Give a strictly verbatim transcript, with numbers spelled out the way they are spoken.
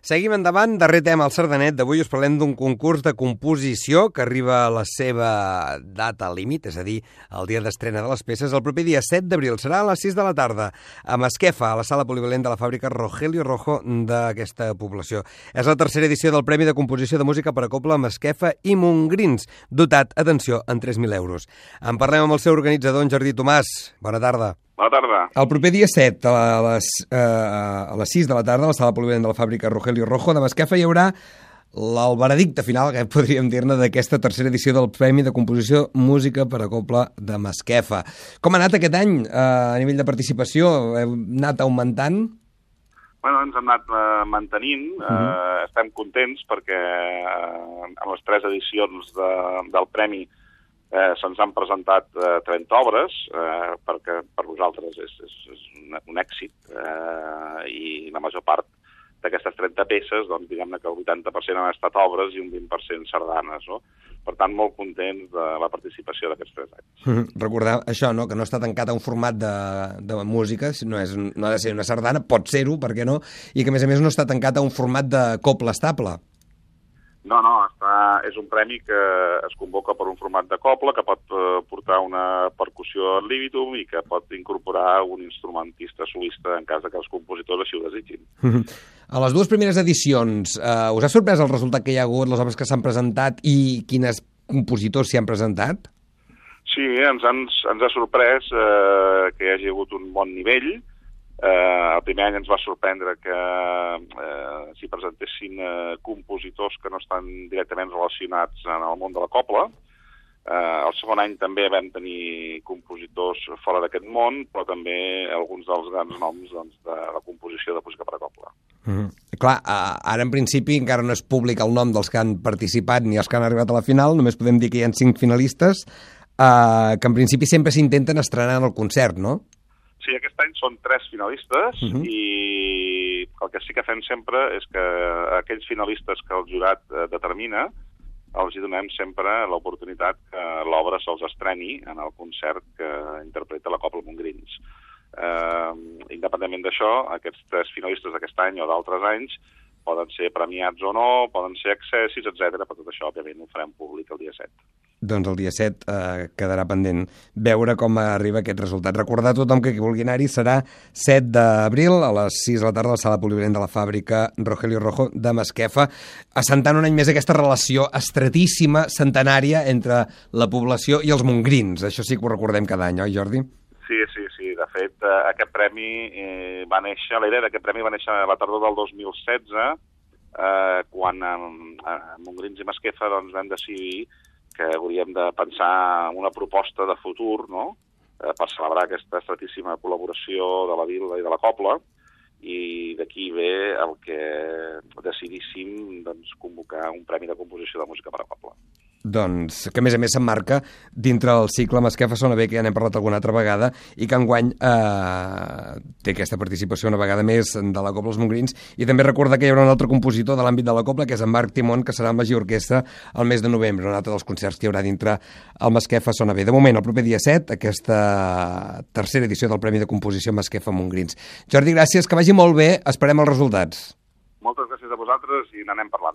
Seguim endavant, darrer tema al Sardanet. D'avui us parlem d'un concurs de composició que arriba a la seva data límit, és a dir, el dia d'estrena de les peces, el proper dia set d'abril. Serà a les sis de la tarda, a Masquefa, a la sala polivalent de la fàbrica Rogelio Rojo d'aquesta població. És la tercera edició del Premi de Composició de Música per a Cobla, Masquefa i Montgrins, dotat, atenció, en tres mil euros. En parlem amb el seu organitzador, en Jordi Tomàs. Bona tarda. Bona tarda. El proper dia set, a les, eh, a les sis de la tarda, a la sala polivalent de la fàbrica Rogelio Rojo de Masquefa, hi haurà el veredicte final, que podríem dir-ne, d'aquesta tercera edició del Premi de Composició Música per a Cobla de Masquefa. Com ha anat aquest any eh, a nivell de participació? Heu anat augmentant? Bueno, ens hem anat eh, mantenint. Uh -huh. eh, estem contents perquè eh, en les tres edicions de, del Premi Eh, se'ns han presentat eh, trenta obres, eh, perquè per nosaltres és, és, és un, un èxit, eh, i la major part d'aquestes trenta peces, doncs diguem-ne que el vuitanta per cent han estat obres i un vint per cent sardanes, no? Per tant, molt contents de la participació d'aquests tres anys. Mm-hmm. Recordar això, no?, que no està tancat a un format de, de música, no, és, no ha de ser una sardana, pot ser-ho, per què no, i que a més a més no està tancat a un format de cobla estable. No, no, està, és un premi que es convoca per un format de cobla, que pot eh, portar una percussió ad libitum i que pot incorporar un instrumentista solista en cas de que els compositors així ho desitgin. A les dues primeres edicions, eh, us ha sorprès el resultat que hi ha hagut, les obres que s'han presentat i quines compositors s'hi han presentat? Sí, ens, ens, ens ha sorprès eh, que hi hagi hagut un bon nivell. Eh, el primer any ens va sorprendre que eh, s'hi presentessin eh, compositors que no estan directament relacionats en el món de la cobla. Eh, el segon any també vam tenir compositors fora d'aquest món, però també alguns dels grans noms doncs, de la composició de música per a cobla. Mm-hmm. Clar, ara en principi encara no és públic el nom dels que han participat ni els que han arribat a la final, només podem dir que hi ha cinc finalistes, eh, que en principi sempre s'intenten estrenar en el concert, no? Sí, aquest any són tres finalistes uh-huh. i el que sí que fem sempre és que aquells finalistes que el jurat eh, determina els hi donem sempre l'oportunitat que l'obra se'ls estreni en el concert que interpreta la Cobla Montgrins. Eh, independentment d'això, aquests tres finalistes d'aquest any o d'altres anys poden ser premiats o no, poden ser accessis, etcètera. Per tot això, òbviament, ho farem públic el dia set. Doncs el dia set eh, quedarà pendent veure com arriba aquest resultat. Recordar a tothom que qui vulgui anar-hi serà set d'abril a les sis de la tarda a la sala polivalent de la fàbrica Rogelio Rojo de Masquefa, assentant un any més aquesta relació estretíssima, centenària, entre la població i els montgrins. Això sí que ho recordem cada any, oi, Jordi? Sí, sí, sí. De fet, eh, aquest premi eh, va néixer, la idea d'aquest premi va néixer a la tardor del dos mil setze, eh, quan a, a Montgrins i Masquefa doncs, vam decidir que hauríem de pensar en una proposta de futur, no?, eh, per celebrar aquesta estretíssima col·laboració de la vila i de la cobla, i d'aquí ve el que decidíssim doncs, convocar un premi de composició de música per a cobla. Doncs, que a més a més s'emmarca dintre el cicle Masquefa Sona Bé, que ja n'hem parlat alguna altra vegada, i que enguany eh, té aquesta participació una vegada més de la Cobla als Montgrins, i també recordar que hi haurà un altre compositor de l'àmbit de la Cobla, que és en Marc Timón, que serà amb la Giorquestra el mes de novembre, un altre dels concerts que hi haurà dintre el Masquefa Sona Bé. De moment, el proper dia set, aquesta tercera edició del Premi de Composició Masquefa Montgrins. Jordi, gràcies, que vagi molt bé, esperem els resultats. Moltes gràcies a vosaltres i n'anem parlant.